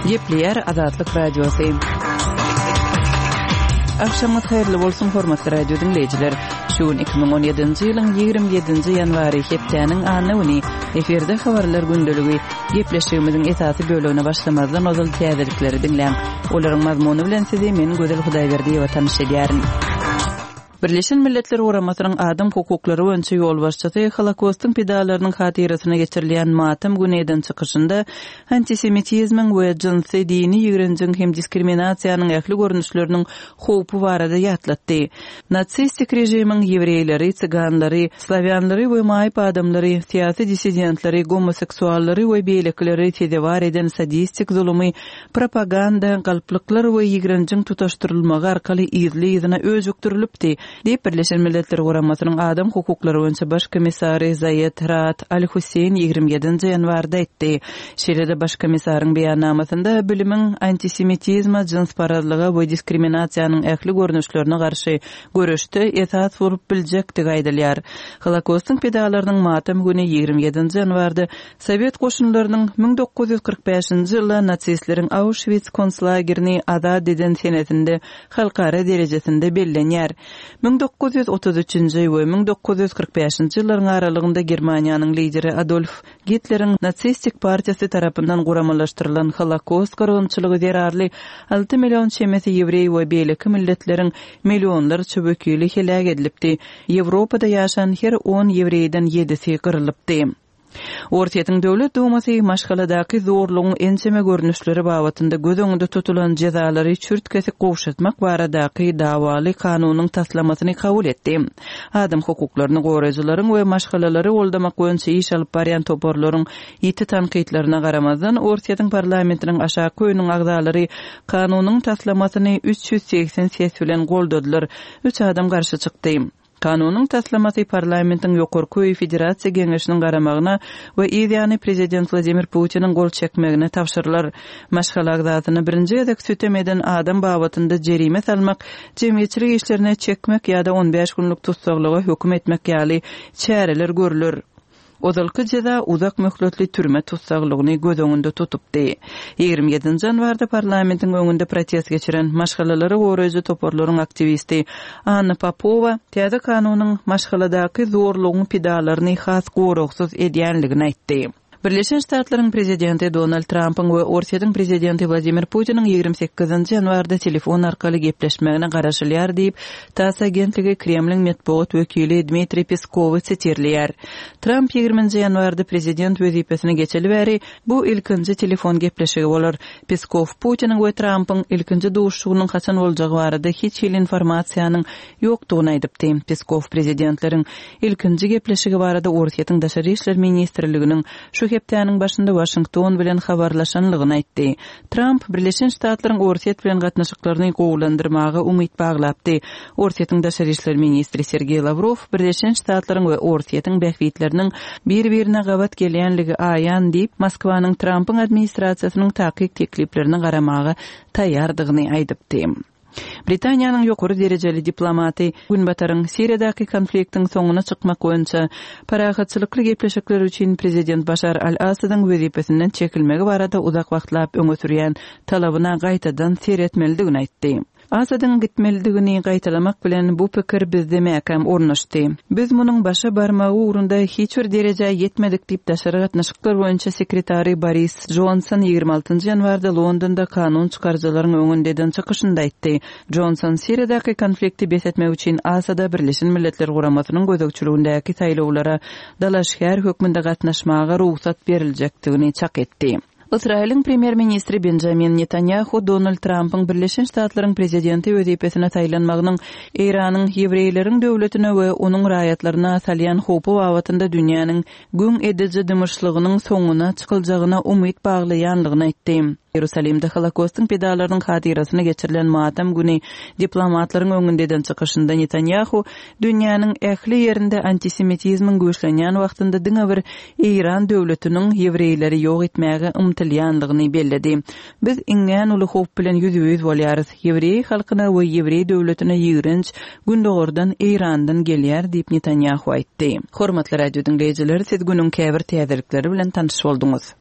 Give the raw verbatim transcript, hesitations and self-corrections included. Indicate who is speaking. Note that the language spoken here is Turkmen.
Speaker 1: Gepleýär Azatlyk Radiosy. Agşamyňyz haýyrly bolsun, hormatly radio diňleýjiler. Şu gün iki müň on ýedinji ýylyň ýigrimi ýedinji ýanwary, hepdäniň anna güni. Efirde habarlar gündeligi. Gepleşigimiziň esasy bölegine başlamazdan ozal täzelikleri diňläň. Olaryň mazmuny bilen sizi men Gözel Hudaýberdiýewa tanyş edýärin. Birleşen Milletler Guramasynyň adam hukuklary boýunça ýolbaşçysy Holokostyň pidalarynyň hatyrasyna geçirilýän matam güni eden çykyşynda antisemitizmiň we jynsy, dini ýigrenjiň hem diskriminasiýanyň ähli görnüşleriniň howpy barada ýatlatdy. Nasistik režimiň ýewreýleri, tsiganlary, slawýanlary we maýyp adamlary, syýasy dissidentleri, gomoseksuallary we beýlekileri sezewar eden sadistik zulumy propaganda, galplyklar we ýigrenjiň tutaşdyrylmagy arkaly yzly-yzyna öjükdirilipdi, diýip Birleşen Milletler Guramasynyň adam hukuklary boýunça baş komissary Zaýed Raad Al-Husseýn ýigrimi ýedinji ýanwarda aýtdy. Şeýle-de baş komissaryň beýannamasynda bilimiň antisemitizme, jynsparazlyga we diskriminasiýanyň ähli görnüşlerine garşy göreşde esas bolup biljekdigi aýdylýar. Holokostyň pidalarynyň matam güni ýigrimi ýedinji ýanwarda Sowet goşunlarynyň müň dokuz ýüz kyrk bäşinji ýylda nasistleriň Auschwitz konslagerini azat eden senesinde halkara derejesinde bellenýär. Müň dokuz ýüz otuz üçünji we müň dokuz ýüz kyrk bäşinji ýyllaryň aralygynda Germaniýanyň lideri Adolf Gitleriň nasistik partiýasy tarapyndan guramalaşdyrylan Holokost gyrgynçylygy zerarly alty million çemesi ýewreý we beýleki milletleriň millionlarça wekili heläk edilipdi. Ýewropada ýaşan her on ýewreýden ýedisi gyrylypdy. Orsýetiň döwlet dumasy maşgaladaky zorlugyň ençeme görnüşleri babatynda göz öňünde tutulan jezalary çürt-kesik gowşatmak baradaky dawaly kanunyň taslamasyny kabul etdi. Adam hukuklaryny goraýjylaryň we maşgalalary goldamak boýunça iş alyp barýan toparlaryň ýiti tankytlaryna garamazdan Orsýetiň parlamentiniň aşaky öýüniň agzalary kanunyň taslamasyny üç ýüz segsen ses bilen goldadylar. Üç adam garşy çykdy. Kanunyň taslamasy parlamentiň ýokarky öýi Federasiýa Geňeşiniň garamagyna we yzýany prezident Wladimir Putiniň gol çekmegine tabşyrylar. Maşgala agzasyna birinji gezek sütem eden adam babatynda jerime salmak, jemgyýetçilik işlerine çekmek ýa-da on bäş günlük tussaglyga höküm etmek ýaly çäreler görüler. Ozalky jeza uzak möhletli türme tussaglygyny göz öňünde tutupdy. Ýigrimi ýedinji ýanwarda parlamentiň öňünde protest geçiren maşgalalary goraýjy toparlaryň aktiwisti Anna Popova täze kanunyň maşgaladaky zorlugyň pidalaryny has goragsyz edýänligini aýtdy. Birleşen Ştatlaryň prezidenti Donald Trumpyň we Orsýetiň prezidenti Wladimir Putiniň ýigrimi sekizinji ýanwarda telefon arkaly gepleşmegine garaşylýar diýip, TASS agentligi Kremliň metbugat wekili Dmitriý Peskowy sitirleýär. Trump ýigriminji ýanwarda prezident wezipesine geçeli bäri bu ilkinji telefon gepleşigi bolar. Peskow Putiniň we Trumpyň ilkinji duşuşygynyň haçan boljagy barada hiç hili informasiýanyň ýokdugyny aýdypdy. Peskow prezidentleriň ilkinji gepleşigi barada Orsýetiň Daşary işler ministrliginiň şu hepdäniň başynda Washington bilen habarlaşanlygyny aýtdy. Trump Birleşen Ştatlaryň Orsýet bilen gatnaşyklaryny gowulandyrmaga umyt baglapdy. Orsýetiň Daşary işler ministri Sergey Lavrov Birleşen Ştatlaryň we Orsýetiň bähbitleriniň bir-birine gabat gelýänligi aýan diýip, Moskwanyň Trumpyň administrasiýasynyň takyk tekliplerini garamaga taýýardygyny aýdypdy. Britaniýanyň ýokary derejeli diplomaty Günbataryň Siriýadaky konfliktiň soňuna çykmak boýunça parahatçylykly gepleşikler üçin prezident Başar al-Asadyň wezipesinden çekilmegi barada uzak wagtlap öňe sürýän talabyna gaýtadan seretmelidigini aýtdy. Asadyň gitmelidigini gaýtalamak bilen bu pikir bizde mäkäm ornaşdy. Biz munuň başa barmagy ugrunda hiç bir derejä ýetmedik diýip daşary gatnaşyklar boýunça sekretary Boris Johnson ýigrimi altynjy ýanwarda Londonda kanun çykaryjylaryň öňünde eden çykyşynda aýtdy. Johnson Siriýadaky konflikti bes etmek üçin Asada Birleşen Milletler Guramasynyň gözegçiligindäki saýlawlara dalaşgär hökmünde gatnaşmaga rugsat beriljekdigini çak etdi. Ysraýylyň premýer-ministri Benjamin Netanyahu Donald Trumpyň Birleşen Ştatlaryň prezidenti wezipesine saýlanmagynyň Eýranyň ýewreýleriň döwletine we onuň raýatlaryna salýan howpy babatynda dünýäniň güň ediji dymyşlygynyň soňuna çykyljagyna umyt baglaýanlygyny aýtdy. Ýerusalimde Holokostyň pidalarynyň hatyrasyna geçirilen matam güni diplomatlaryň öňünde eden çykyşynda Netanyahu dünýäniň ähli ýerinde antisemitizmiň güýçlenýän wagtynda diňe bir Eýran döwletiniň ýewreýleri ýok etmäge ymtylýanlygyny belledi. Biz iňňän uly howp bilen ýüzbe-ýüz bolýarys. Ýewreý halkyna we ýewreý döwletine ýigrenç Gündogardan Eýrandan gelýär diýip Netanyahu aýtdy. Hormatly radio diňleýjiler, siz günüň käbir täzelikleri bilen tanyş bolduňyz.